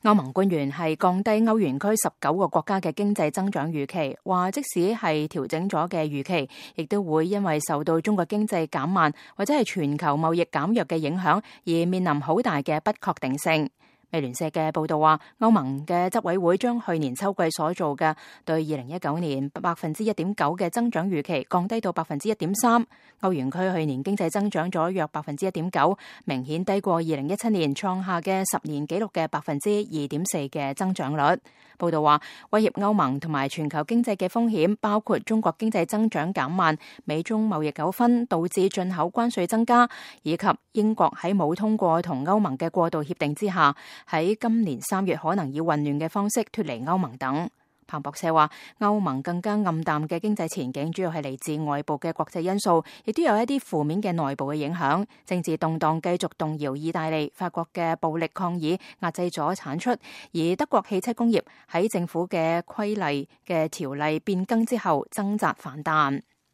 歐盟官員係降低歐元區19個國家嘅經濟增長預期，話即使係調整咗嘅預期，亦都會因為受到中國經濟減慢或者係全球貿易減弱嘅影響，而面臨好大嘅不確定性。美聯社嘅報道話，歐盟嘅執委會將去年秋季所做嘅對2019年1.9%嘅增長預期降低到1.3%。歐元區去年經濟增長咗約1.9%，明顯低過2017年創下嘅10年紀錄嘅2.4%嘅增長率。報道話，威脅歐盟同埋全球經濟嘅風險包括中國經濟增長減慢、美中貿易糾紛導致進口關稅增加，以及英國喺冇通過同歐盟嘅過渡協定之下，喺今年3月可能以混亂嘅方式脫離歐盟等。彭博社話，歐盟更加暗淡嘅經濟前景主要係嚟自外部嘅國際因素，亦都有一啲負面嘅內部嘅影響。政治動盪繼續動搖意大利、法國嘅暴力抗議壓制咗產出，而德國汽車工業喺政府嘅規例嘅條例變更之後掙扎反彈。